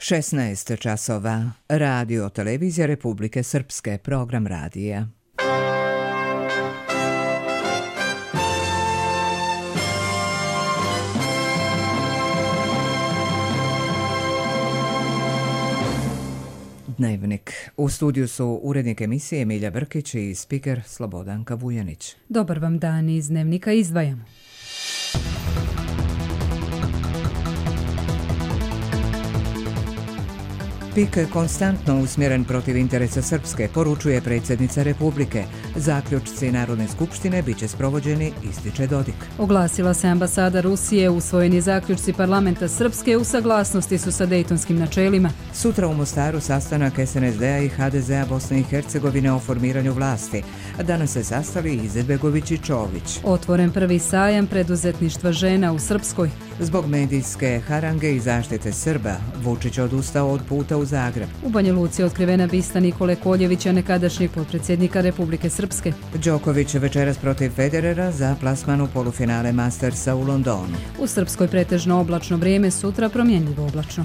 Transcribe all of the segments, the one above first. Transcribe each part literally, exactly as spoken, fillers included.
šesnaest časova. Radio Televizija Republike Srpske, program radija. Dnevnik. U studiju su urednik emisije Milja Brkić i spiker Slobodanka Vujanić. Dobar vam dan, iz Dnevnika izdvajamo. Pik konstantno usmjeren protiv interesa Srpske, poručuje predsjednica Republike. Zaključci Narodne skupštine bit će sprovođeni, ističe Dodik. Oglasila se ambasada Rusije, usvojeni zaključci parlamenta Srpske u saglasnosti su sa dejtonskim načelima. Sutra u Mostaru sastanak es en es de a i ha de ze a Bosne i Hercegovine o formiranju vlasti. Danas se sastali Izetbegović i Čović. Otvoren prvi sajam preduzetništva žena u Srpskoj. Zbog medijske harange i zaštite Srba, Vučić odustao od puta u Zagreb. U Banja Luci otkrivena bista Nikole Koljevića, nekadašnjeg potpredsjednika Republike Srpske. Đoković večeras protiv Federera za plasman u polufinale Mastersa u Londonu. U Srpskoj pretežno oblačno vrijeme, sutra promjenljivo oblačno.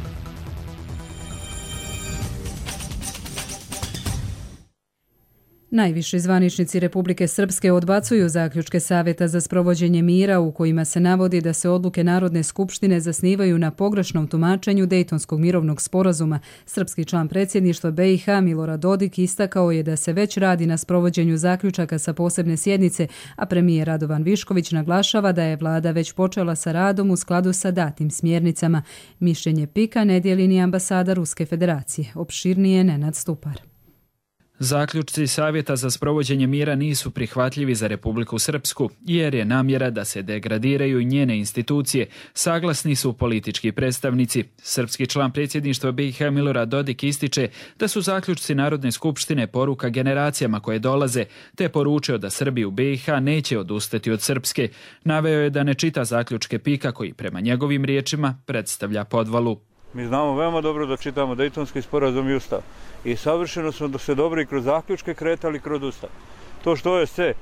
Najviši zvaničnici Republike Srpske odbacuju zaključke Savjeta za sprovođenje mira u kojima se navodi da se odluke Narodne skupštine zasnivaju na pogrešnom tumačenju Dejtonskog mirovnog sporazuma. Srpski član predsjedništva be i ha Milorad Dodik istakao je da se već radi na sprovođenju zaključaka sa posebne sjednice, a premijer Radovan Višković naglašava da je vlada već počela sa radom u skladu sa datim smjernicama. Mišljenje pika ne dijeli ni ambasada Ruske federacije. Opširnije Nenad Stupar. Zaključci Savjeta za sprovođenje mira nisu prihvatljivi za Republiku Srpsku, jer je namjera da se degradiraju njene institucije, saglasni su politički predstavnici. Srpski član predsjedništva be i ha Milorad Dodik ističe da su zaključci Narodne skupštine poruka generacijama koje dolaze, te poručio da Srbi u be i ha neće odustati od Srpske. Naveo je da ne čita zaključke pika koji prema njegovim riječima predstavlja podvalu. Mi znamo veoma dobro da čitamo Dejtonski sporazum i Ustav. I savršeno smo da se dobro i kroz zaključke kretali kroz Ustav. To što o es ce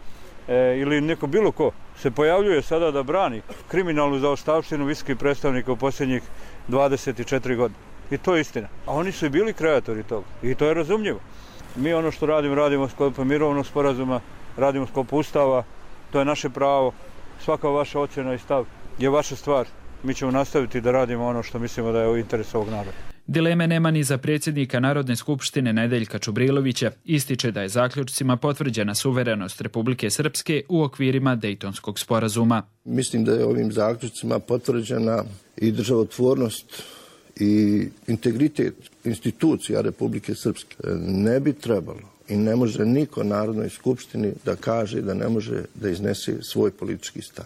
e, ili neko bilo ko se pojavljuje sada da brani kriminalnu zaostavštinu visokih predstavnika u posljednjih dvadeset četiri godine. I to je istina. A oni su i bili kreatori toga. I to je razumljivo. Mi ono što radimo, radimo u sklopu mirovnog sporazuma, radimo u sklopu Ustava. To je naše pravo. Svaka vaša ocjena i stav je vaša stvar. Mi ćemo nastaviti da radimo ono što mislimo da je u interesu ovog naroda. Dileme nema ni za predsjednika Narodne skupštine Nedeljka Čubrilovića. Ističe da je zaključcima potvrđena suverenost Republike Srpske u okvirima Dejtonskog sporazuma. Mislim da je ovim zaključcima potvrđena i državotvornost i integritet institucija Republike Srpske. Ne bi trebalo i ne može niko Narodnoj skupštini da kaže da ne može da iznese svoj politički stav.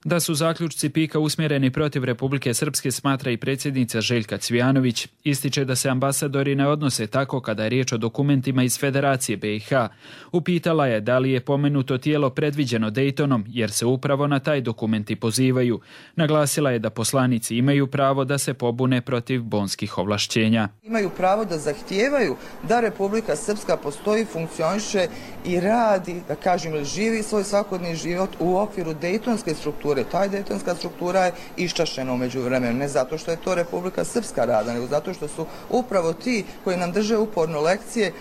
Da su zaključci pika usmjereni protiv Republike Srpske smatra i predsjednica Željka Cvijanović. Ističe da se ambasadori ne odnose tako kada je riječ o dokumentima iz Federacije be i ha. Upitala je da li je pomenuto tijelo predviđeno Dejtonom jer se upravo na taj dokumenti pozivaju. Naglasila je da poslanici imaju pravo da se pobune protiv bonskih ovlašćenja. Imaju pravo da zahtijevaju da Republika Srpska postoji, funkcioniše i radi, da kažem, ili živi svoj svakodnevni život u okviru Dejtonske strukture. Ta dejtonska struktura je iščašena u međuvremenu, ne zato što je to Republika Srpska rada, nego zato što su upravo ti koji nam drže uporno lekcije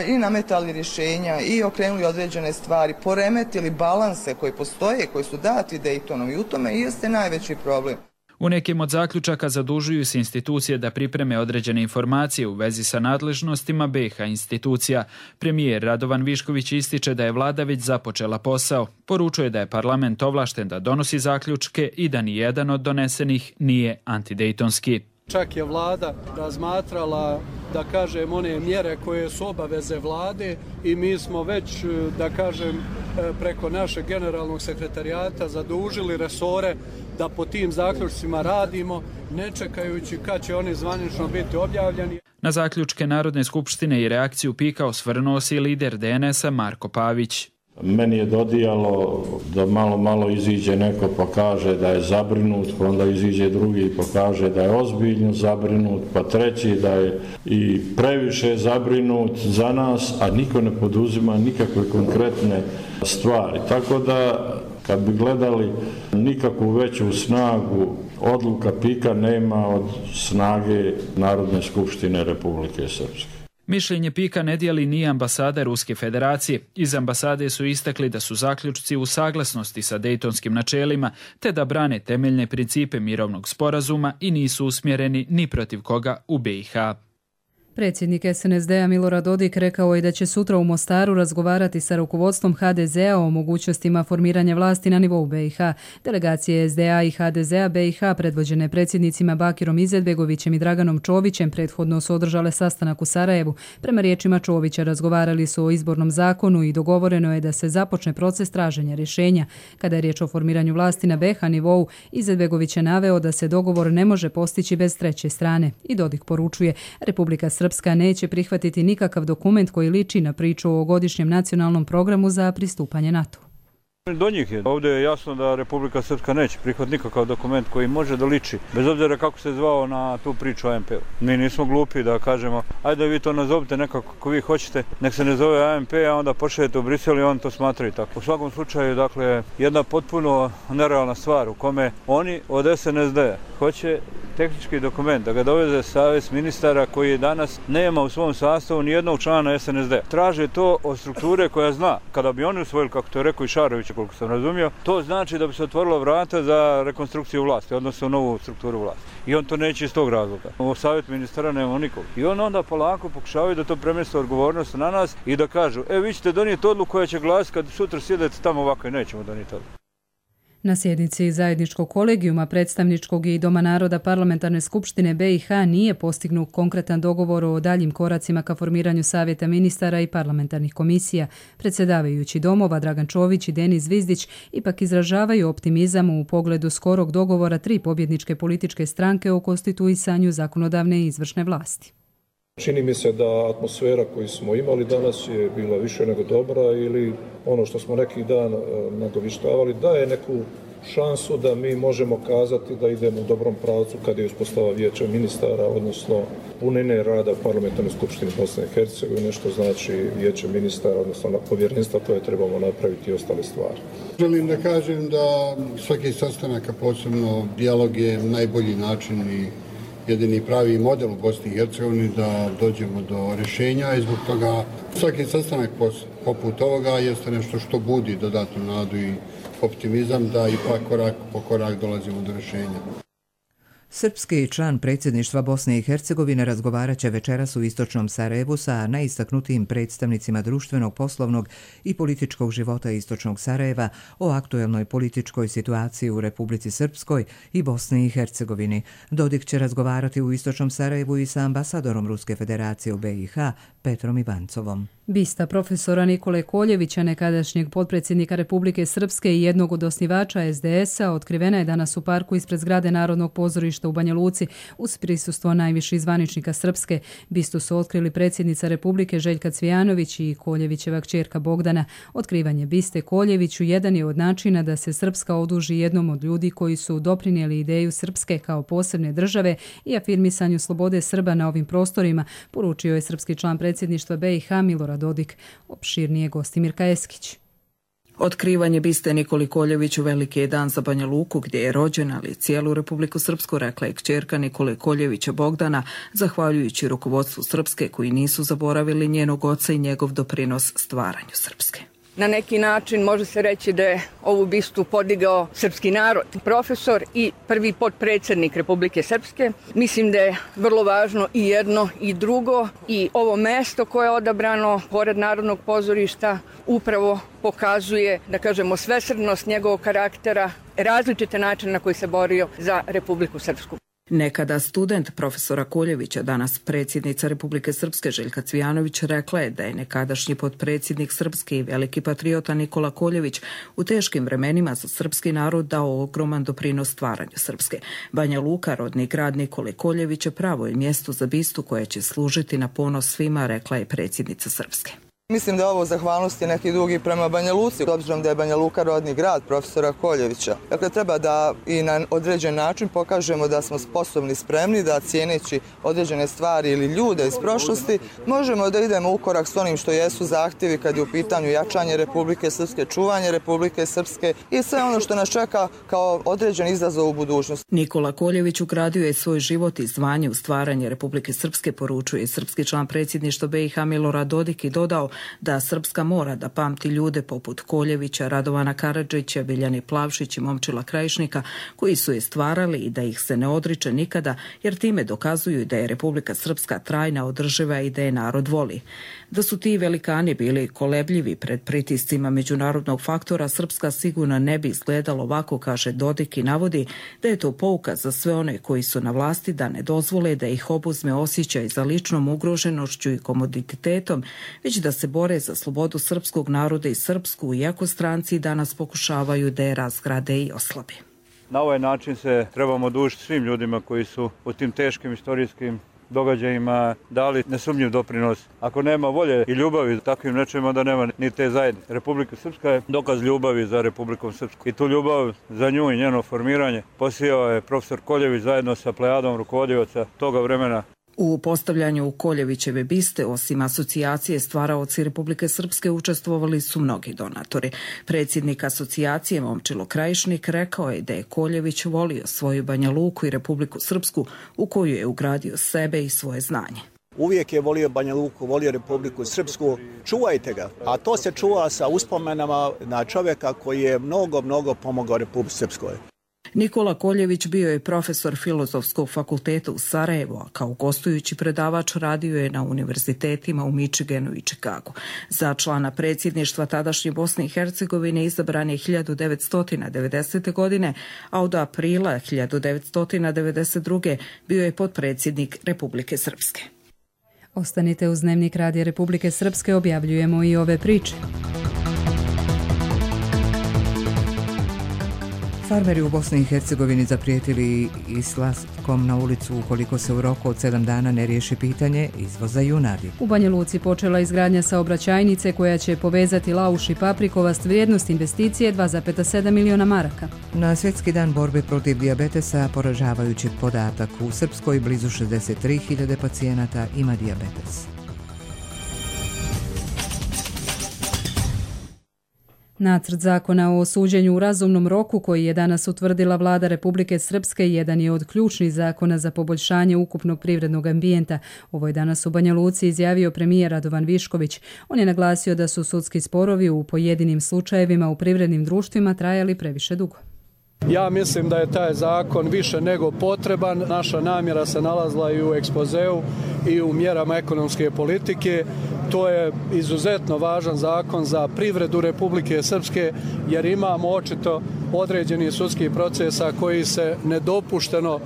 i nametali rješenja i okrenuli određene stvari, poremetili balanse koji postoje, koji su dati Dejtonom i u tome i jeste najveći problem. U nekim od zaključaka zadužuju se institucije da pripreme određene informacije u vezi sa nadležnostima be i ha institucija. Premijer Radovan Višković ističe da je vlada već započela posao. Poručuje da je parlament ovlašten da donosi zaključke i da ni jedan od donesenih nije antidejtonski. Čak je vlada razmatrala, da kažem, one mjere koje su obaveze vlade i mi smo već, da kažem, preko našeg generalnog sekretarijata zadužili resore da po tim zaključcima radimo, ne čekajući kad će oni zvanično biti objavljeni. Na zaključke Narodne skupštine i reakciju pika osvrnuo se i lider de en es a Marko Pavić. Meni je dodijalo da malo malo iziđe neko pa kaže da je zabrinut, pa onda iziđe drugi pa kaže da je ozbiljno zabrinut, pa treći da je i previše zabrinut za nas, a niko ne poduzima nikakve konkretne stvari. Tako da kad bi gledali nikakvu veću snagu odluka Pika nema od snage Narodne skupštine Republike Srpske. Mišljenje Pika ne dijeli ni ambasada Ruske federacije. Iz ambasade su istakli da su zaključci u saglasnosti sa dejtonskim načelima, te da brane temeljne principe mirovnog sporazuma i nisu usmjereni ni protiv koga u B i H. Predsjednik S N S D-a Milorad Dodik rekao je da će sutra u Mostaru razgovarati sa rukovodstvom H D Z-a o mogućnostima formiranja vlasti na nivou B i H. Delegacije S D A i H D Z-a B i H predvođene predsjednicima Bakirom Izetbegovićem i Draganom Čovićem prethodno su održale sastanak u Sarajevu. Prema riječima Čovića razgovarali su o izbornom zakonu i dogovoreno je da se započne proces traženja rješenja. Kada je riječ o formiranju vlasti na B i H nivou, Izetbegović je naveo da se dogovor ne može postići bez treće strane. I Dodik poručuje, Republika Srpska neće prihvatiti nikakav dokument koji liči na priču o godišnjem nacionalnom programu za pristupanje NATO. Do njih je. Ovdje je jasno da Republika Srpska neće prihvatiti nikakav dokument koji može da liči, bez obzira kako se zvao na tu priču o A M P-u. Mi nismo glupi da kažemo, ajde vi to nazovite nekako kako vi hoćete, nek se ne zove A M P, a onda pošaljete u Brisel i on to smatraju tako. U svakom slučaju, dakle, jedna potpuno nerealna stvar u kome oni od S N S D hoće tehnički dokument, da ga doveze Savez ministara koji danas nema u svom sastavu ni jednog člana S N S D. Traže to od strukture koja zna, kada bi oni usvojili, kako to je rekao i Šarović, koliko sam razumio, to znači da bi se otvorilo vrata za rekonstrukciju vlasti, odnosno novu strukturu vlasti. I on to neće iz tog razloga. U Savjet ministara nema nikog. I on onda polako pokušavaju da to premjeste odgovornost na nas i da kažu, e vi ćete donijeti odluku koja će glasiti kad sutra sjedete tamo ovako i nećemo donijeti odluku. Na sjednici zajedničkog kolegijuma predstavničkog i Doma naroda Parlamentarne skupštine B i H nije postignut konkretan dogovor o daljim koracima ka formiranju savjeta ministara i parlamentarnih komisija. Predsjedavajući domova Dragan Čović i Denis Zvizdić ipak izražavaju optimizam u pogledu skorog dogovora tri pobjedničke političke stranke o konstituisanju zakonodavne i izvršne vlasti. Čini mi se da atmosfera koju smo imali danas je bila više nego dobra ili ono što smo neki dan nagovištavali daje neku šansu da mi možemo kazati da idemo u dobrom pravcu kada je uspostava vijeća ministara, odnosno punine rada Parlamentarne skupštine Bosne i Hercegovine, što znači vijeće ministara, odnosno povjerenstva koje trebamo napraviti i ostale stvari. Želim da kažem da svaki sastanak, a posebno dijalog, je najbolji način i jedini pravi model u Bosni i Hercegovini da dođemo do rješenja i zbog toga svaki sastanak poput ovoga jeste nešto što budi dodatnu nadu i optimizam da ipak korak po korak dolazimo do rješenja. Srpski član predsjedništva Bosne i Hercegovine razgovarat će večeras u istočnom Sarajevu sa najistaknutijim predstavnicima društvenog, poslovnog i političkog života istočnog Sarajeva o aktuelnoj političkoj situaciji u Republici Srpskoj i Bosni i Hercegovini. Dodik će razgovarati u istočnom Sarajevu i sa ambasadorom Ruske federacije u B i H Petrom Ivancovom. Bista profesora Nikole Koljevića, nekadašnjeg potpredsjednika Republike Srpske i jednog od osnivača S D S-a, otkrivena je danas u parku ispred zgrade Narodnog pozorišta u Banja Luci uz prisustvo najviših zvaničnika Srpske. Bistu su otkrili predsjednica Republike Željka Cvijanović i Koljevićeva kćerka Bogdana. Otkrivanje biste Koljeviću jedan je od načina da se Srpska oduži jednom od ljudi koji su doprinijeli ideju Srpske kao posebne države i afirmisanju slobode Srba na ovim prostorima, poručio je srpski član predsjedništva B i H Milorad Dodik. Opširnije Gostimirka Eskić. Otkrivanje biste Nikoli Koljeviću veliki je dan za Banja Luku, gdje je rođen, ali cijelu Republiku Srpsku, rekla je kćerka Nikole Koljevića Bogdana, zahvaljujući rukovodstvu Srpske koji nisu zaboravili njenog oca i njegov doprinos stvaranju Srpske. Na neki način može se reći da je ovu bistu podigao srpski narod. Profesor i prvi potpredsjednik Republike Srpske. Mislim da je vrlo važno i jedno i drugo i ovo mesto koje je odabrano pored Narodnog pozorišta upravo pokazuje, da kažemo, svesrdnost njegovog karaktera, različite načine na koji se borio za Republiku Srpsku. Nekada student profesora Koljevića, danas predsjednica Republike Srpske Željka Cvijanović, rekla je da je nekadašnji potpredsjednik Srpske i veliki patriota Nikola Koljević u teškim vremenima za srpski narod dao ogroman doprinos stvaranju Srpske. Banja Luka, rodni grad Nikole Koljevića, pravo je mjesto za bistu koja će služiti na ponos svima, rekla je predsjednica Srpske. Mislim da je ovo zahvalnosti neki drugi prema Banja Luci, obzirom da je Banja Luka rodni grad profesora Koljevića. Dakle, treba da i na određen način pokažemo da smo sposobni, spremni, da cijeneći određene stvari ili ljude iz prošlosti, možemo da idemo u korak s onim što jesu zahtjevi kad je u pitanju jačanje Republike Srpske, čuvanje Republike Srpske i sve ono što nas čeka kao određen izazov u budućnosti. Nikola Koljević ugradio je svoj život i zvanje u stvaranje Republike Srpske, poručuje srpski član predsjedništva B i H Milorad Dodik i dodao da Srpska mora da pamti ljude poput Koljevića, Radovana Karadžića, Biljane Plavšić i Momčila Krajišnika koji su je stvarali i da ih se ne odriče nikada jer time dokazuju da je Republika Srpska trajna, održiva i da je narod voli. Da su ti velikani bili kolebljivi pred pritiscima međunarodnog faktora, Srpska sigurno ne bi izgledalo ovako, kaže Dodik i navodi da je to pouka za sve one koji su na vlasti da ne dozvole da ih obuzme osjećaj za ličnom ugroženošću i komoditetom, već da se bore za slobodu srpskog naroda i srpsku, iako stranci danas pokušavaju da je razgrade i oslabe. Na ovaj način se trebamo dužiti svim ljudima koji su u tim teškim istorijskim događajima dali nesumnjiv doprinos. Ako nema volje i ljubavi takvim nečem, onda nema ni te zajednice. Republika Srpska je dokaz ljubavi za Republikom Srpsku. I tu ljubav za nju i njeno formiranje posijao je profesor Koljević zajedno sa plejadom rukovodioca toga vremena. U postavljanju Koljevićeve biste, osim asocijacije stvaraoci Republike Srpske, učestvovali su mnogi donatori. Predsjednik asocijacije Momčilo Krajišnik rekao je da je Koljević volio svoju Banja Luku i Republiku Srpsku u koju je ugradio sebe i svoje znanje. Uvijek je volio Banja Luku, volio Republiku Srpsku. Čuvajte ga. A to se čuva sa uspomenama na čovjeka koji je mnogo, mnogo pomogao Republici Srpskoj. Nikola Koljević bio je profesor Filozofskog fakulteta u Sarajevu, a kao gostujući predavač radio je na univerzitetima u Michiganu i Čikagu. Za člana predsjedništva tadašnje Bosne i Hercegovine izabran je hiljadu devetsto devedesete. godine, a od aprila hiljadu devetsto devedeset druge. bio je potpredsjednik Republike Srpske. Ostanite uz Dnevnik Radija Republike Srpske, objavljujemo i ove priče. Farmeri u Bosni i Hercegovini zaprijetili izlaskom na ulicu ukoliko se u roku od sedam dana ne riješi pitanje izvoza junadi. U Banja Luci počela izgradnja saobraćajnice koja će povezati Lauš i Paprikovast, vrijednost investicije dva zarez sedam miliona maraka. Na Svjetski dan borbe protiv dijabetesa poražavajući podatak. U Srpskoj blizu šezdeset tri hiljade pacijenata ima dijabetes. Nacrt zakona o suđenju u razumnom roku koji je danas utvrdila vlada Republike Srpske jedan je od ključnih zakona za poboljšanje ukupnog privrednog ambijenta. Ovo je danas u Banja Luci izjavio premijer Radovan Višković. On je naglasio da su sudski sporovi u pojedinim slučajevima u privrednim društvima trajali previše dugo. Ja mislim da je taj zakon više nego potreban. Naša namjera se nalazila i u ekspozeu i u mjerama ekonomske politike. To je izuzetno važan zakon za privredu Republike Srpske jer imamo očito određeni sudskih procesa koji se nedopušteno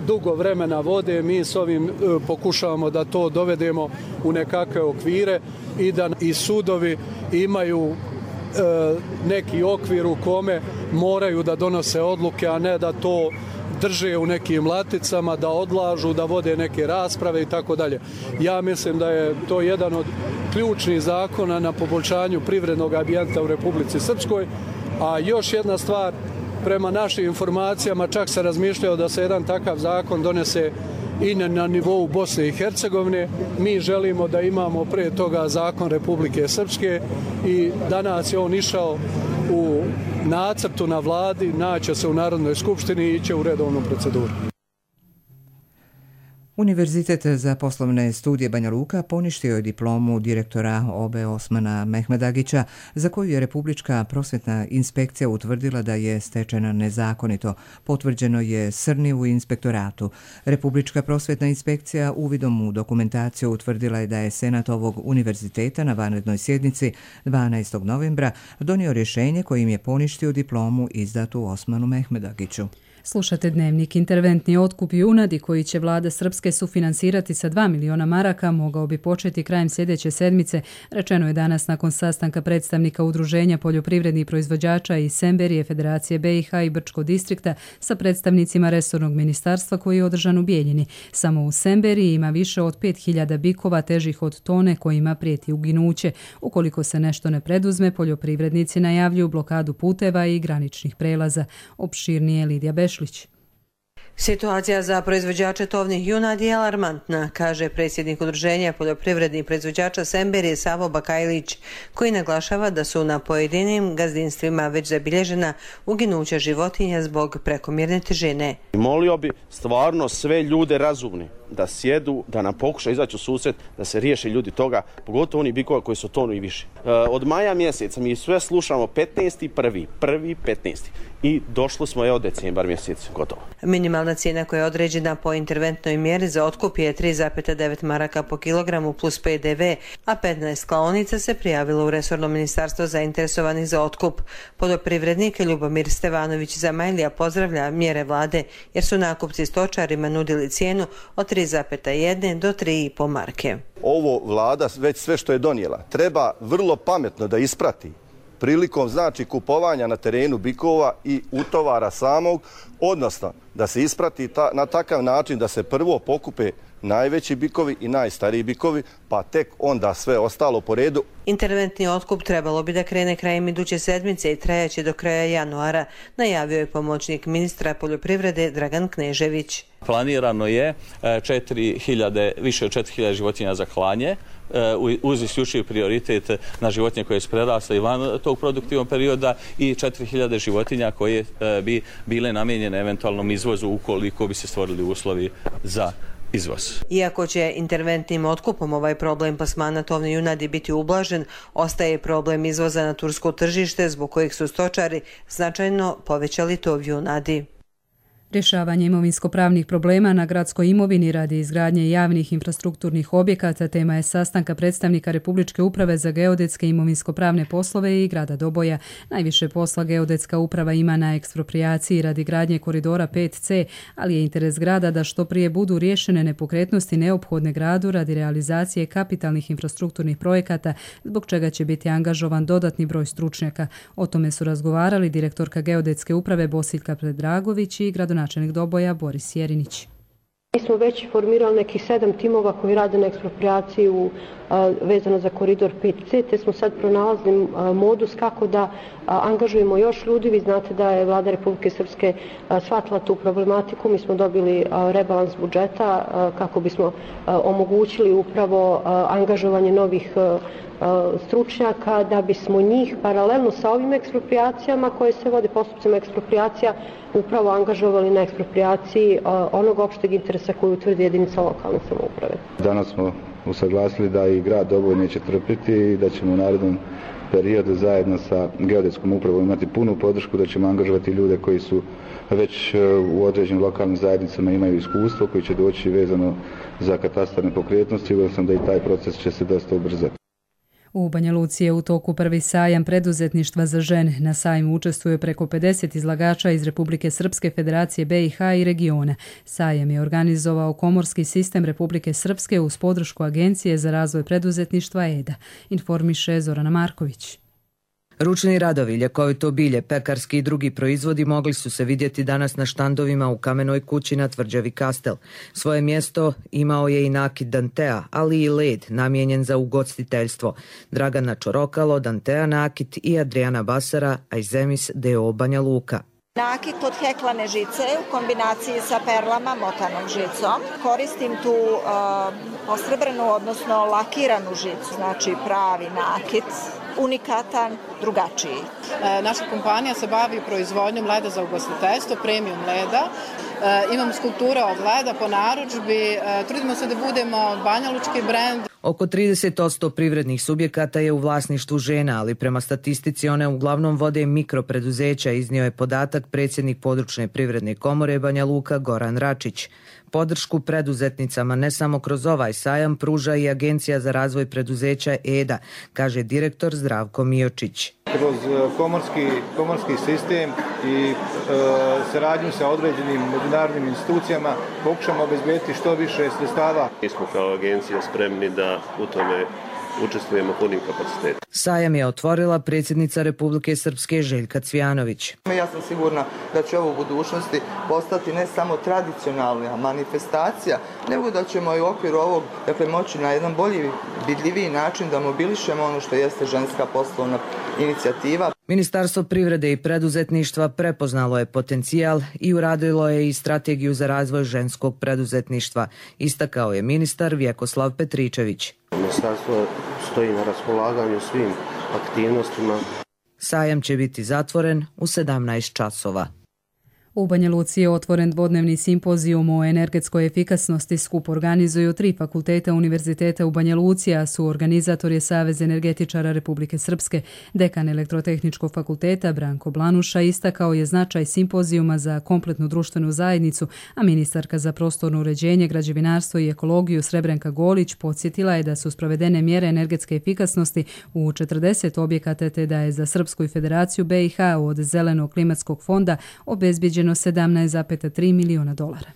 dugo vremena vode. Mi s ovim pokušavamo da to dovedemo u nekakve okvire i da i sudovi imaju neki okvir u kome moraju da donose odluke, a ne da to drže u nekim laticama, da odlažu, da vode neke rasprave i tako dalje. Ja mislim da je to jedan od ključnih zakona na poboljšanju privrednog ambijenta u Republici Srpskoj, a još jedna stvar, prema našim informacijama čak se razmišljao da se jedan takav zakon donese i na nivou Bosne i Hercegovine. Mi želimo da imamo pre toga zakon Republike Srpske i danas je on išao u nacrtu na vladi, naće se u Narodnoj skupštini i iće u redovnu proceduru. Univerzitet za poslovne studije Banja Luka poništio je diplomu direktora O B E Osmana Mehmedagića, za koju je Republička prosvjetna inspekcija utvrdila da je stečena nezakonito. Potvrđeno je Srni u inspektoratu. Republička prosvjetna inspekcija uvidom u dokumentaciju utvrdila je da je senat ovog univerziteta na vanrednoj sjednici dvanaestog novembra donio rješenje kojim je poništio diplomu izdatu Osmanu Mehmedagiću. Slušate Dnevnik. Interventni otkup junadi koji će vlada Srpske sufinansirati sa dva miliona maraka mogao bi početi krajem sljedeće sedmice, rečeno je danas nakon sastanka predstavnika Udruženja poljoprivrednih proizvođača i Semberije, Federacije B i H i Brčkog distrikta sa predstavnicima resornog ministarstva koji je održan u Bijeljini. Samo u Semberiji ima više od pet hiljada bikova težih od tone kojima prijeti uginuće. Ukoliko se nešto ne preduzme, poljoprivrednici najavljuju blokadu puteva i graničnih prelaza. Opširnije Lidija Bešlić. Situacija za proizvođače tovnih junadi je alarmantna, kaže predsjednik Udruženja poljoprivrednih proizvođača Semberije Savo Bakajlić, koji naglašava da su na pojedinim gazdinstvima već zabilježena uginuća životinja zbog prekomjerne težine. Molio bi stvarno sve ljude razumni da sjedu, da nam pokuša izaći u susret, da se riješe ljudi toga, pogotovo oni bikova koji su tonu i više. E, od maja mjeseca mi sve slušamo petnaesti prvi, prvi petnaesti i došli smo evo decembar mjesec, gotovo. Minimalna cijena koja je određena po interventnoj mjeri za otkup je tri zarez devet maraka po kilogramu plus P D V, a petnaest klaonica se prijavilo u resorno ministarstvo zainteresovanih za otkup. Poljoprivrednik Ljubomir Stevanović Zamajlija pozdravlja mjere vlade jer su nakupci stočarima nudili cijenu od tri zarez jedan do tri zarez pet marke. Ovo vlada već sve što je donijela treba vrlo pametno da isprati prilikom znači kupovanja na terenu bikova i utovara samog, odnosno da se isprati ta, na takav način da se prvo pokupe najveći bikovi i najstariji bikovi, pa tek onda sve ostalo po redu. Interventni otkup trebalo bi da krene krajem iduće sedmice i trajaće do kraja januara, najavio je pomoćnik ministra poljoprivrede Dragan Knežević. Planirano je četiri hiljade, više od četiri hiljade životinja za klanje, uz isključiv prioritet na životinje koje su prerasle i van tog produktivnog perioda i četiri hiljade životinja koje bi bile namijenjene eventualnom izvozu ukoliko bi se stvorili uslovi za izvoz. Iako će interventnim otkupom ovaj problem plasmana tovne junadi biti ublažen, ostaje problem izvoza na tursko tržište zbog kojih su stočari značajno povećali tov junadi. Rješavanje imovinsko-pravnih problema na gradskoj imovini radi izgradnje javnih infrastrukturnih objekata tema je sastanka predstavnika Republičke uprave za geodetske imovinsko-pravne poslove i grada Doboja. Najviše posla geodetska uprava ima na eksproprijaciji radi gradnje koridora pet C, ali je interes grada da što prije budu riješene nepokretnosti neophodne gradu radi realizacije kapitalnih infrastrukturnih projekata, zbog čega će biti angažovan dodatni broj stručnjaka. O tome su razgovarali direktorka geodetske uprave Bosiljka Predragović i gradonačelnik načelnik Doboja Boris Jerinić. Mi smo već formirali nekih sedam timova koji rade na eksproprijaciju vezano za koridor pet C, te smo sad pronalazili modus kako da angažujemo još ljudi. Vi znate da je vlada Republike Srpske shvatila tu problematiku. Mi smo dobili rebalans budžeta kako bismo omogućili upravo angažovanje novih stručnjaka da bismo njih paralelno sa ovim eksproprijacijama koje se vode postupcima eksproprijacija upravo angažovali na eksproprijaciji onog opšteg interesa koju utvrdi jedinica lokalne samouprave. Danas smo usaglasili da i grad Doboj neće trpiti i da ćemo u narednom periodu zajedno sa geodetskom upravom imati punu podršku, da ćemo angažovati ljude koji su već u određenim lokalnim zajednicama imaju iskustvo, koji će doći vezano za katastar nepokretnosti. Siguran sam da i taj proces će se dosta ubrzati. U Banja Luci je u toku prvi sajam preduzetništva za žene. Na sajmu učestvuje preko pedeset izlagača iz Republike Srpske, Federacije B i H i regiona. Sajam je organizovao Komorski sistem Republike Srpske uz podršku Agencije za razvoj preduzetništva E D A, informiše Zorana Marković. Ručni radovi, ljekovito bilje, pekarski i drugi proizvodi mogli su se vidjeti danas na štandovima u Kamenoj kući na tvrđavi Kastel. Svoje mjesto imao je i nakit Dantea, ali i led namijenjen za ugostiteljstvo. Dragana Čorokalo, Dantea nakit i Adriana Basara, Ajzemis D O Banja Luka. Nakit od heklane žice u kombinaciji sa perlama motanom žicom. Koristim tu uh, posrebranu, odnosno lakiranu žicu, znači pravi nakit, unikatan, drugačiji. E, naša kompanija se bavi proizvodnjom leda za ugostiteljstvo, premium leda. E, imamo skulpture od leda po narudžbi, e, trudimo se da budemo banjalučki brend. Oko trideset posto privrednih subjekata je u vlasništvu žena, ali prema statistici one uglavnom vode mikropreduzeća, iznio je podatak predsjednik područne privredne komore Banja Luka Goran Račić. Podršku preduzetnicama ne samo kroz ovaj sajam pruža i Agencija za razvoj preduzeća E D A, kaže direktor Zdravko Miočić. Kroz komorski, komorski sistem i e, saradnju sa određenim međunarodnim institucijama pokušamo obezbediti što više sredstava. Mi smo kao agencija spremni da u tome učestvujemo punim kapacitetom. Sajam je otvorila predsjednica Republike Srpske Željka Cvijanović. Ja sam sigurna da će ovo u budućnosti postati ne samo tradicionalna manifestacija, nego da ćemo i u okviru ovog, dakle, moći na jedan bolji, vidljiviji način da mobilišemo ono što jeste ženska poslovna inicijativa. Ministarstvo privrede i preduzetništva prepoznalo je potencijal i uradilo je i strategiju za razvoj ženskog preduzetništva, istakao je ministar Vjekoslav Petričević. Ministarstvo stoji na raspolaganju svim aktivnostima. Sajam će biti zatvoren u sedamnaest časova. U Banja Luci je otvoren dvodnevni simpozijum o energetskoj efikasnosti. Skup organizuju tri fakulteta Univerziteta u Banja Luci, a su organizator je Savez energetičara Republike Srpske. Dekan Elektrotehničkog fakulteta Branko Blanuša istakao je značaj simpozijuma za kompletnu društvenu zajednicu, a ministarka za prostorno uređenje, građevinarstvo i ekologiju Srebrenka Golić podsjetila je da su sprovedene mjere energetske efikasnosti u četrdeset objekata, te da je za Srpsku i Federaciju B i H od Zelenog klimatskog fonda obezbijeđeno sedamnaest zarez tri miliona dolara.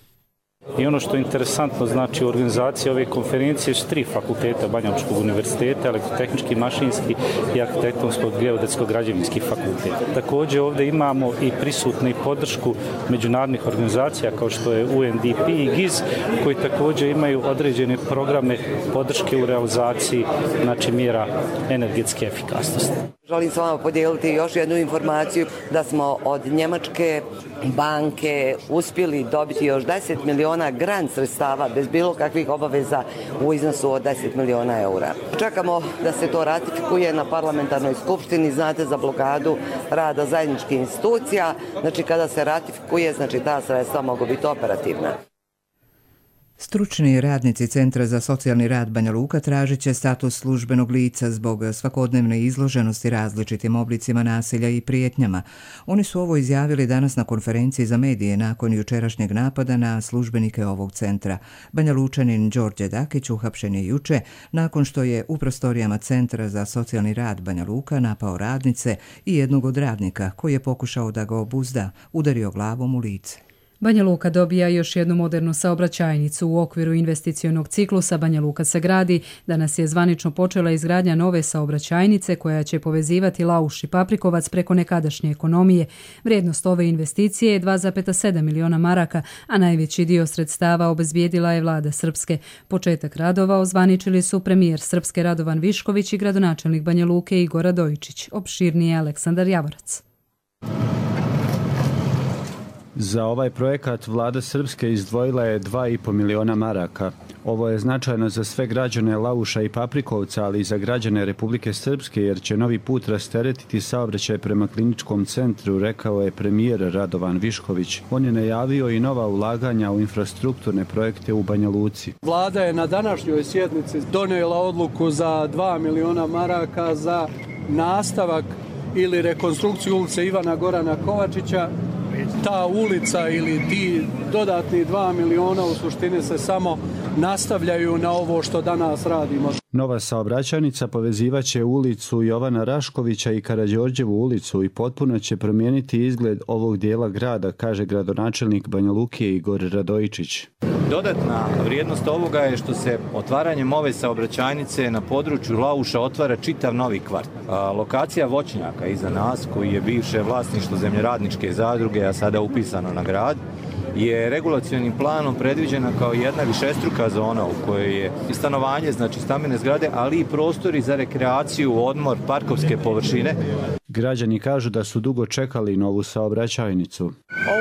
I ono što je interesantno, znači u organizaciji ove konferencije su tri fakulteta Banja Lučkog univerziteta, elektrotehnički, mašinski i arhitektonskog geodetskog građevinski fakultet. Također ovdje imamo i prisutnu i podršku međunarodnih organizacija kao što je U N D P i G I Z, koji također imaju određene programe podrške u realizaciji, znači, mjera energetske efikasnosti. Želim s vama podijeliti još jednu informaciju da smo od njemačke banke uspjeli dobiti još deset miliona grant sredstava bez bilo kakvih obaveza u iznosu od deset miliona eura. Čekamo da se to ratifikuje na parlamentarnoj skupštini, znate, za blokadu rada zajedničkih institucija. Znači kada se ratifikuje, znači ta sredstva mogu biti operativna. Stručni radnici Centra za socijalni rad Banja Luka tražit će status službenog lica zbog svakodnevne izloženosti različitim oblicima nasilja i prijetnjama. Oni su ovo izjavili danas na konferenciji za medije nakon jučerašnjeg napada na službenike ovog centra. Banja Lučanin Đorđe Dakić uhapšen je juče nakon što je u prostorijama Centra za socijalni rad Banja Luka napao radnice i jednog od radnika koji je pokušao da ga obuzda, udario glavom u lice. Banja Luka dobija još jednu modernu saobraćajnicu. U okviru investicionog ciklusa Banja Luka se gradi. Danas je zvanično počela izgradnja nove saobraćajnice koja će povezivati Lauš i Paprikovac preko nekadašnje ekonomije. Vrijednost ove investicije je dva zarez sedam miliona maraka, a najveći dio sredstava obezbijedila je vlada Srpske. Početak radova ozvaničili su premijer Srpske Radovan Višković i gradonačelnik Banja Luke Igor Radojičić. Opširnije Aleksandar Javorac. Za ovaj projekat vlada Srpske izdvojila je dva i po miliona maraka. Ovo je značajno za sve građane Lauša i Paprikovca, ali i za građane Republike Srpske, jer će novi put rasteretiti saobraćaj prema kliničkom centru, rekao je premijer Radovan Višković. On je najavio i nova ulaganja u infrastrukturne projekte u Banja Luci. Vlada je na današnjoj sjednici donijela odluku za dva miliona maraka za nastavak ili rekonstrukciju ulice Ivana Gorana Kovačića. Ta ulica ili ti dodatni dva miliona u suštini se samo nastavljaju na ovo što danas radimo. Nova saobraćajnica povezivaće ulicu Jovana Raškovića i Karađorđevu ulicu i potpuno će promijeniti izgled ovog dijela grada, kaže gradonačelnik Banja Luke Igor Radojičić. Dodatna vrijednost ovoga je što se otvaranjem ove saobraćajnice na području Lauša otvara čitav novi kvart. A, lokacija voćnjaka iza nas, koji je bivše vlasništvo zemljoradničke zadruge, a sada upisano na grad, je regulacionim planom predviđena kao jedna višestruka zona u kojoj je i stanovanje, znači stambene zgrade, ali i prostori za rekreaciju, odmor, parkovske površine. Građani kažu da su dugo čekali novu saobraćajnicu.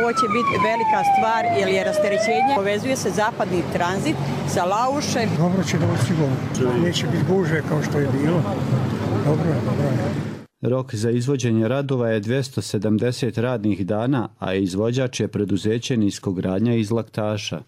Ovo će biti velika stvar jer je rasterećenje. Povezuje se zapadni tranzit sa Laušem. Dobro će doći sigurno. Neće biti gužve kao što je bilo. Dobro je, dobro je. Rok za izvođenje radova je dvjesto sedamdeset radnih dana, a izvođač je preduzeće Niskogradnja iz Laktaša.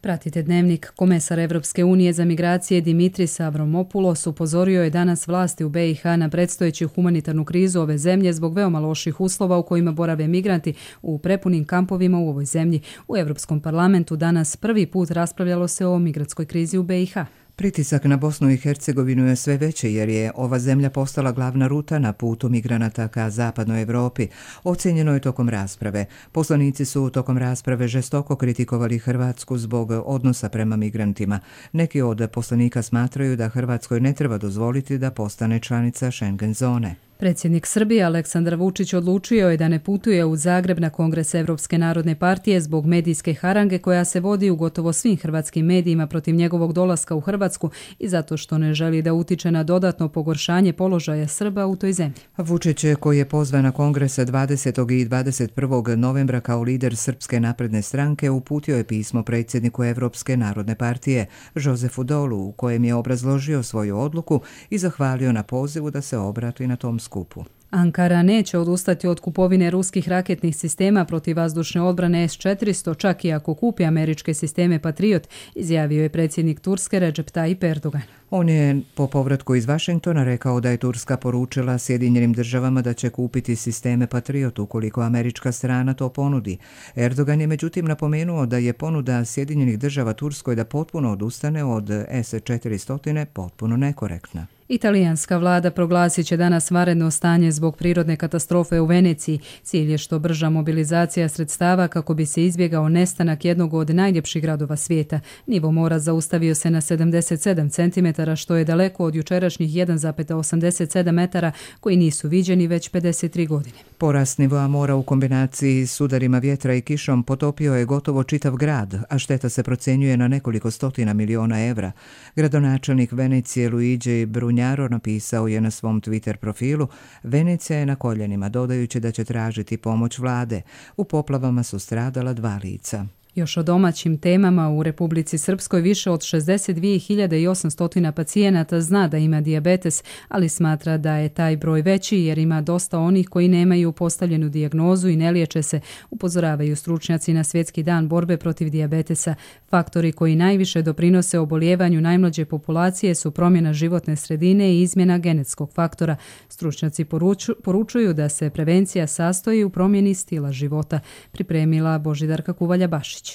Pratite Dnevnik. Komesar Evropske unije za migracije Dimitris Avramopoulos upozorio je danas vlasti u B i H na predstojeću humanitarnu krizu ove zemlje zbog veoma loših uslova u kojima borave migranti u prepunim kampovima u ovoj zemlji. U Europskom parlamentu danas prvi put raspravljalo se o migratskoj krizi u B i H. Pritisak na Bosnu i Hercegovinu je sve veći jer je ova zemlja postala glavna ruta na putu migranata ka zapadnoj Evropi. Ocjenjeno je tokom rasprave. Poslanici su tokom rasprave žestoko kritikovali Hrvatsku zbog odnosa prema migrantima. Neki od poslanika smatraju da Hrvatskoj ne treba dozvoliti da postane članica Schengen zone. Predsjednik Srbije Aleksandar Vučić odlučio je da ne putuje u Zagreb na Kongres Evropske narodne partije zbog medijske harange koja se vodi u gotovo svim hrvatskim medijima protiv njegovog dolaska u Hrvatsku i zato što ne želi da utiče na dodatno pogoršanje položaja Srba u toj zemlji. Vučić, koji je pozvan na Kongres dvadesetog i dvadeset prvog novembra kao lider Srpske napredne stranke, uputio je pismo predsjedniku Evropske narodne partije Josefu Dolu u kojem je obrazložio svoju odluku i zahvalio na pozivu da se obrati na tom skupu. Ankara neće odustati od kupovine ruskih raketnih sistema protivvazdušne odbrane S četiristo, čak i ako kupi američke sisteme Patriot, izjavio je predsjednik Turske Recep Tayyip Erdogan. On je po povratku iz Vašingtona rekao da je Turska poručila Sjedinjenim državama da će kupiti sisteme Patriot ukoliko američka strana to ponudi. Erdogan je međutim napomenuo da je ponuda Sjedinjenih država Turskoj da potpuno odustane od S četiristo potpuno nekorektna. Italijanska vlada proglasit će danas vanredno stanje zbog prirodne katastrofe u Veneciji. Cilj je što brža mobilizacija sredstava kako bi se izbjegao nestanak jednog od najljepših gradova svijeta. Nivo mora zaustavio se na sedamdeset sedam centimetara, što je daleko od jučerašnjih jedan zarez osamdeset sedam metara koji nisu viđeni već pedeset tri godine. Porast nivoa mora u kombinaciji s udarima vjetra i kišom potopio je gotovo čitav grad, a šteta se procjenjuje na nekoliko stotina miliona evra. Gradonačelnik Venecije Luigi Brugnaro napisao je na svom Twitter profilu: Venecija je na koljenima, dodajući da će tražiti pomoć vlade. U poplavama su stradala dva lica. Još o domaćim temama, u Republici Srpskoj više od šezdeset dvije hiljade osamsto pacijenata zna da ima dijabetes, ali smatra da je taj broj veći jer ima dosta onih koji nemaju postavljenu dijagnozu i ne liječe se, upozoravaju stručnjaci na Svjetski dan borbe protiv dijabetesa. Faktori koji najviše doprinose obolijevanju najmlađe populacije su promjena životne sredine i izmjena genetskog faktora. Stručnjaci poruču, poručuju da se prevencija sastoji u promjeni stila života. Pripremila Božidarka Kuvalja-Bašić.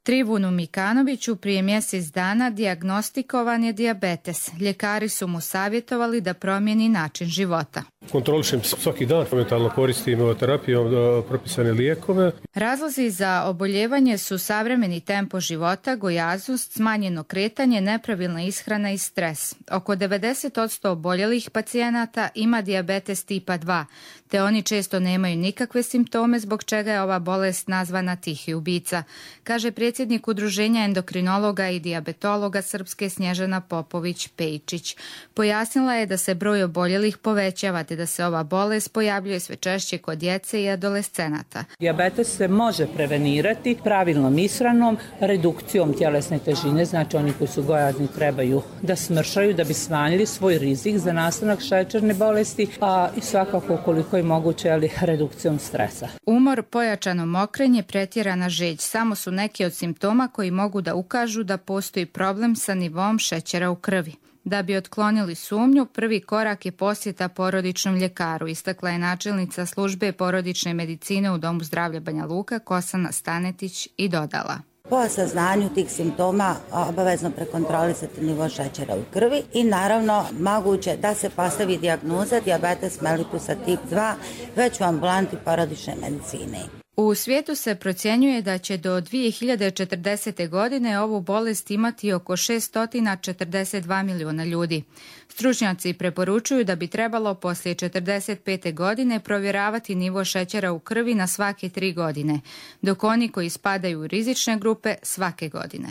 Trivunu Mikanoviću prije mjesec dana dijagnostikovan je dijabetes. Ljekari su mu savjetovali da promijeni način života. Kontrolišem svaki dan, momentalno koristim terapijom propisane lijekove. Razlozi za oboljevanje su savremeni tempo života, gojaznost, smanjeno kretanje, nepravilna ishrana i stres. Oko devedeset posto oboljelih pacijenata ima dijabetes tipa dva, te oni često nemaju nikakve simptome zbog čega je ova bolest nazvana tihi ubica, kaže predsjednik Udruženja endokrinologa i dijabetologa Srpske Snježana Popović-Pejčić. Pojasnila je da se broj oboljelih povećava te da se ova bolest pojavljuje sve češće kod djece i adolescenata. Dijabetes se može prevenirati pravilnom ishranom, redukcijom tjelesne težine, znači oni koji su gojazni trebaju da smršaju da bi smanjili svoj rizik za nastanak šećerne bolesti, a i svakako koliko je moguće ali redukcijom stresa. Umor, pojačano mokrenje, pretjerana žeđ samo su neki od simptoma koji mogu da ukažu da postoji problem sa nivom šećera u krvi. Da bi otklonili sumnju, prvi korak je posjeta porodičnom ljekaru, istakla je načelnica službe porodične medicine u Domu zdravlja Banja Luka Kosana Stanetić i dodala: Po saznanju tih simptoma obavezno prekontrolisati nivo šećera u krvi i naravno moguće da se postavi dijagnoza dijabetes mellitusa tip dva već u ambulanti porodične medicine. U svijetu se procjenjuje da će do dvije hiljade četrdesete. godine ovu bolest imati oko šesto četrdeset dva miliona ljudi. Stručnjaci preporučuju da bi trebalo poslije četrdeset pete. godine provjeravati nivo šećera u krvi na svake tri godine, dok oni koji spadaju u rizične grupe svake godine.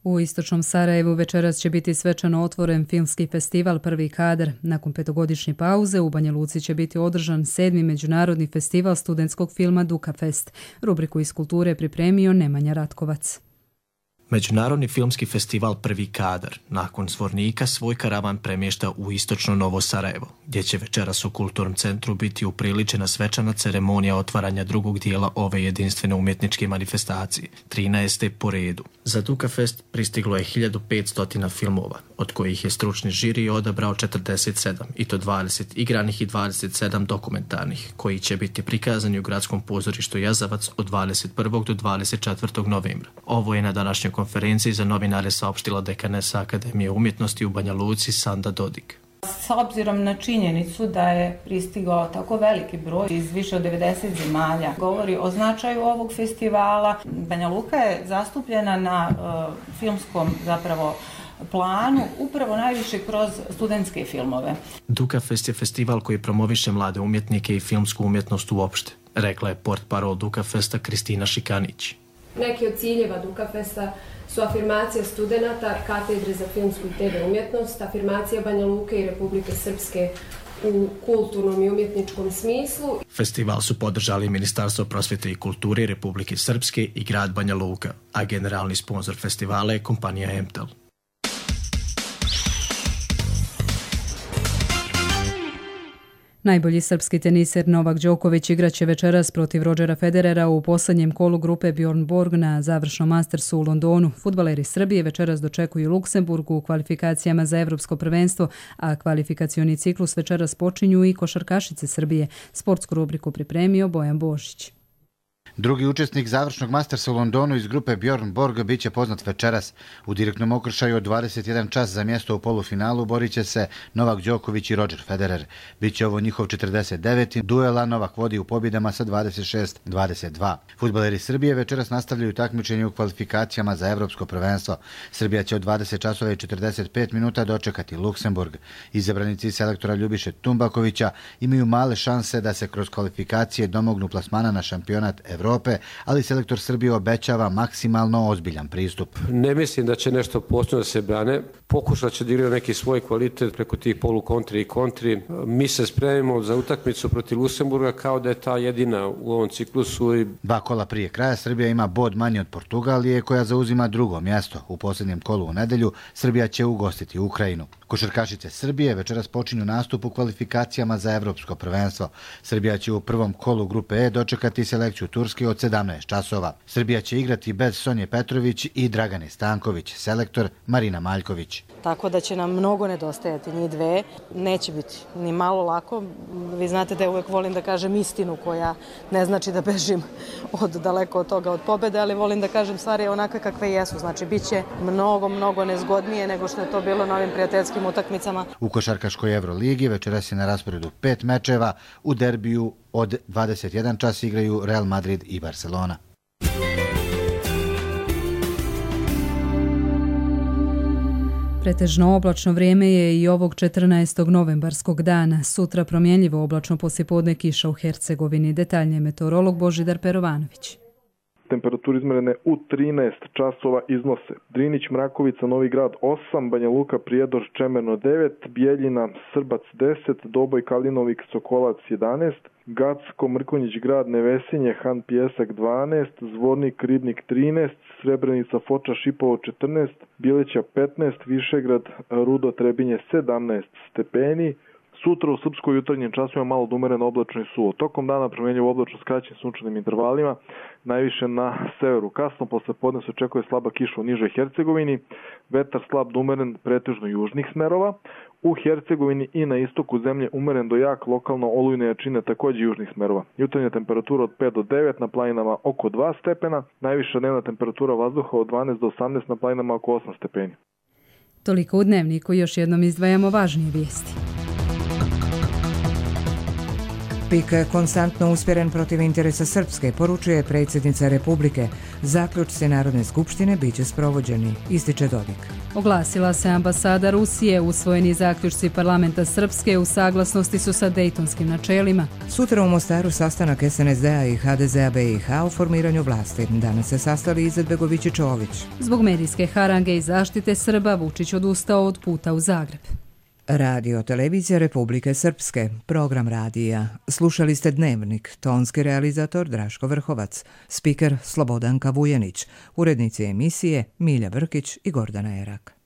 U istočnom Sarajevu večeras će biti svečano otvoren filmski festival Prvi kadar. Nakon petogodišnje pauze u Banja Luci će biti održan sedmi međunarodni festival studentskog filma Duka Fest. Rubriku iz kulture pripremio Nemanja Ratkovac. Međunarodni filmski festival Prvi kadar nakon Zvornika svoj karavan premješta u istočno Novo Sarajevo, gdje će večeras u Kulturnom centru biti upriličena svečana ceremonija otvaranja drugog dijela ove jedinstvene umjetničke manifestacije, trinaeste po redu. Za Dukafest pristiglo je hiljadu petsto filmova, od kojih je stručni žiri odabrao četrdeset sedam, i to dvadeset igranih i dvadeset sedam dokumentarnih, koji će biti prikazani u Gradskom pozorištu Jazavac od dvadeset prvog do dvadeset četvrtog novembra. Ovo je na današnjoj konferenciji za novinare saopštila dekanesa Akademije umjetnosti u Banja Luci Sanda Dodik. S obzirom na činjenicu da je pristigao tako veliki broj iz više od devedeset zemalja, govori o značaju ovog festivala. Banja Luka je zastupljena na uh, filmskom zapravo planu upravo najviše kroz studentske filmove. Dukafest je festival koji promoviše mlade umjetnike i filmsku umjetnost uopšte, rekla je portparol Dukafesta Kristina Šikanić. Neki od ciljeva Dukafesta su afirmacija studenata katedre za filmsku i te ve umjetnost, afirmacija Banja Luke i Republike Srpske u kulturnom i umjetničkom smislu. Festival su podržali Ministarstvo prosvjete i kulture Republike Srpske i grad Banja Luka, a generalni sponsor festivala je kompanija Emtel. Najbolji srpski teniser Novak Đoković igraće večeras protiv Rodgera Federera u posljednjem kolu grupe Bjorn Borg na završnom Mastersu u Londonu. Fudbaleri Srbije večeras dočekuju Luksemburgu u kvalifikacijama za Evropsko prvenstvo, a kvalifikacioni ciklus večeras počinju i košarkašice Srbije. Sportsku rubriku pripremio Bojan Božić. Drugi učesnik završnog Mastersa u Londonu iz grupe Bjorn Borg bit će poznat večeras. U direktnom okršaju od dvadeset jedan čas za mjesto u polufinalu borit će se Novak Đoković i Roger Federer. Biće ovo njihov četrdeset deveti duela, Novak vodi u pobjedama sa dvadeset šest dvadeset dva. Fudbaleri Srbije večeras nastavljaju takmičenje u kvalifikacijama za Evropsko prvenstvo. Srbija će od dvadeset časova i četrdeset pet minuta dočekati Luksemburg. Izabranici selektora Ljubiše Tumbakovića imaju male šanse da se kroz kvalifikacije domognu plasmana na šampionat Evrope, ali selektor Srbije obećava maksimalno ozbiljan pristup. Ne mislim da će nešto posebno da se brane. Pokušat će da igraju neki svoj kvalitet preko tih polukontri i kontri. Mi se spremimo za utakmicu protiv Luksemburga kao da je ta jedina u ovom ciklusu. Dva kola prije kraja Srbija ima bod manje od Portugalije, koja zauzima drugo mjesto. U posljednjem kolu u nedelju Srbija će ugostiti Ukrajinu. Košarkašice Srbije večeras počinju nastup u kvalifikacijama za Evropsko prvenstvo. Srbija će u prvom kolu grupe E dočekati selekciju Turske od sedamnaest časova. Srbija će igrati bez Sonje Petrović i Dragane Stanković, selektor Marina Maljković. Tako da će nam mnogo nedostajati njih dve. Neće biti ni malo lako. Vi znate da ja uvijek volim da kažem istinu, koja ne znači da bežim od daleko od toga od pobjede, ali volim da kažem stvari onakve kakve jesu. Znači, bit će mnogo, mnogo nezgodnije nego što je to bilo na ovim prijateljskim utakmicama. U košarkaškoj Euroligi večeras je na rasporedu pet mečeva. U derbiju od dvadeset jedan čas igraju Real Madrid i Barcelona. Pretežno oblačno vrijeme je i ovog četrnaestog novembarskog dana. Sutra promjenljivo oblačno poslijepodne, kiša u Hercegovini. Detaljnije meteorolog Božidar Perovanović. Temperaturi izmjerene u trinaest časova iznose Drinić, Mrakovica, Novi Grad osam, Banja Luka, Prijedor, Čemerno devet, Bijeljina, Srbac deset, Doboj, Kalinovik, Sokolac jedanaest, Gacko, Mrkonjić Grad, Nevesinje, Han Pijesak dvanaest, Zvornik, Ribnik trinaest, Srebrenica, Foča, Šipovo četrnaest, Bileća petnaest, Višegrad, Rudo, Trebinje sedamnaest stepeni. Sutra u Srpskoj jutarnjim časima malo umereno oblačno i suvo. Tokom dana promjenjivo oblačno s kraćim sunčanim intervalima, najviše na severu. Kasno posle podne se očekuje slaba kiša u nižoj Hercegovini, vetar slab do umeren pretežno južnih smerova. U Hercegovini i na istoku zemlje umeren do jak, lokalno olujne jačine također južnih smerova. Jutarnja temperatura od pet do devet, na planinama oko dva stepena, najviša dnevna temperatura vazduha od dvanaest do osamnaest, na planinama oko osam stepeni. Toliko u Dnevniku, još jednom izdvajamo važnije vijesti. Pik konstantno usmjeren protiv interesa Srpske, poručuje predsjednica Republike. Zaključci Narodne skupštine biće sprovođeni, ističe Dodik. Oglasila se ambasada Rusije, usvojeni zaključci parlamenta Srpske u saglasnosti su sa dejtonskim načelima. Sutra u Mostaru sastanak es en es de a i ha de ze a be i ha o formiranju vlasti. Danas se sastali Izetbegović i Čović. Zbog medijske harange i zaštite Srba, Vučić odustao od puta u Zagreb. Radio Televizija Republike Srpske, program radija. Slušali ste Dnevnik, tonski realizator Draško Vrhovac, spiker Slobodanka Vujenić, urednici emisije Milja Vrkić i Gordana Erak.